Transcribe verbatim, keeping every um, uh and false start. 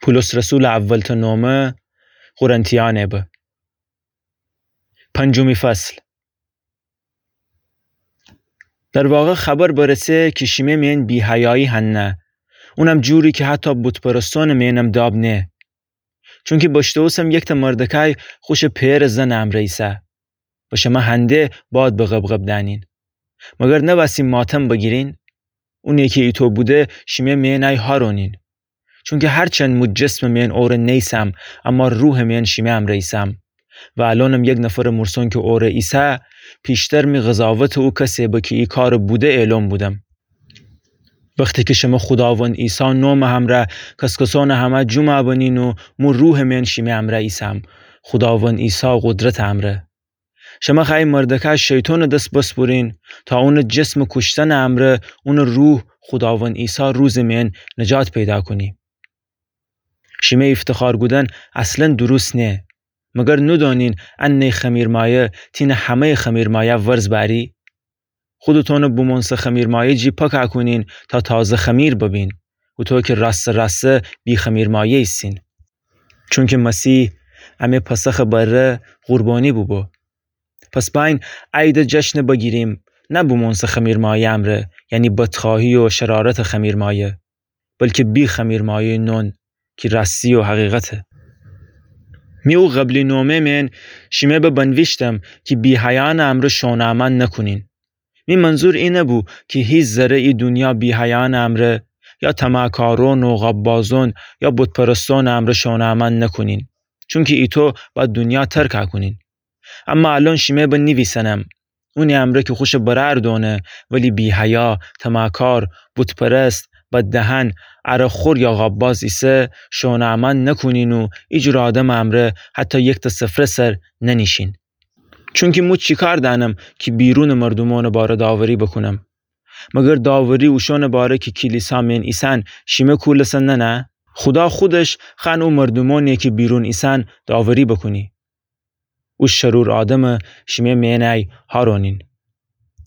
پولس رسولٚ اولتأ نومه قرنتیأنه به. پنجمی فصل. در واقع خبر برسه کی شیمه میأن بی‌حیایی هنه، اونم جوری کی حتی بت‌پرستونٚ میأنم داب نه. چونکی بشتوسم یکتأ مردکأی خوشٚ پئرٚ زنٚ امرأ ایسه و شمه هنده باد به غبغب دأنین. مگر نوأستی ماتم بگیرین؟ اونی کی ایتو بوده شیمه میأنأی هارونین. چونکی هرچند مو جسمٚ میأن اوره نیسم، اما روحٚ میأن شیمه امرأ ایسم. و الأنم یک نفرٚ مورسون کی اوره ایسه، پیشتر می قضاوتٚ او کسه به کی ای کارٚ بوده اعلون بودم. وختی کی شمه خوداوند عیسی نومٚ همرأ کس‌کسونٚ همه جومٚ بنین و مو روحٚ میأن شیمه امرأ ایسم، خوداوند عیسی قدرتٚ امرأ. شمه خوأیی مردکأی شیطونٚ دس بسپرین تا اونٚ جسمٚ کوشتنٚ امرأ اونٚ روح خوداوند عیسی روزٚ میأن نجات پیدا کونی. شیمه ایفتخار کودن اصلا دروست نه. مگر نودأنین انه خمیرمایه تینه همه‌یٚ خمیرمایه ورز بأری؟ خودتونٚ بومونسه خمیرمایه جی پاکأ کونین تا تازه خمیر ببین، هوطو کی راستٚ راستٚ بی‌خمیرمایه ایسین. چونکی مسیح امه پسخٚ بره قربانی بوبو. پس بأیین عیدٚ جشنٚ بگیریم، نه بومونسه خمیرمایه امرأ، یعنی بدخواهی و شرارتٚ خمیرمایه، بلکی بی‌خمیرمایه نون کی راستی و حقیقته. می او قبلی نومه میأن شیمه به بنویشتم کی بی‌حیایأنٚ امرأ شونا عمل نکونین. می منظور ای نبو کی هیچ ذره ای دونیا بی‌حیایأنٚ امرأ یا طمعکارون و غاببازون یا بت‌پرستونٚ امرأ شونا عمل نکونین، چونکی ایتو بأید دونیا ترکأ کونین. اما الأن شیمه به نیویسنم، اونی امرأ کی خوشٚ برأر دؤنه ولی بی‌حیا، طمعکار، بت‌پرست، بددهن، عرق‌خور یا غابباز ایسه، شونا عمل نکونین و ایجور آدمٚ امرأ حتی یکتأ سفره سر ننیشین. چونکی مو چی کار دأنم کی بیرونٚ مردومأنٚ باره داوری بوکونم؟ مگر داوری اوشأنٚ باره کی کلیسا میأن ایسن شیمه کولسه ننه؟ خودا خودش خوأن او مردومأنی کی بیرون ایسن داوری بوکونی. او شرور آدمه شیمه میأنأی هارونین.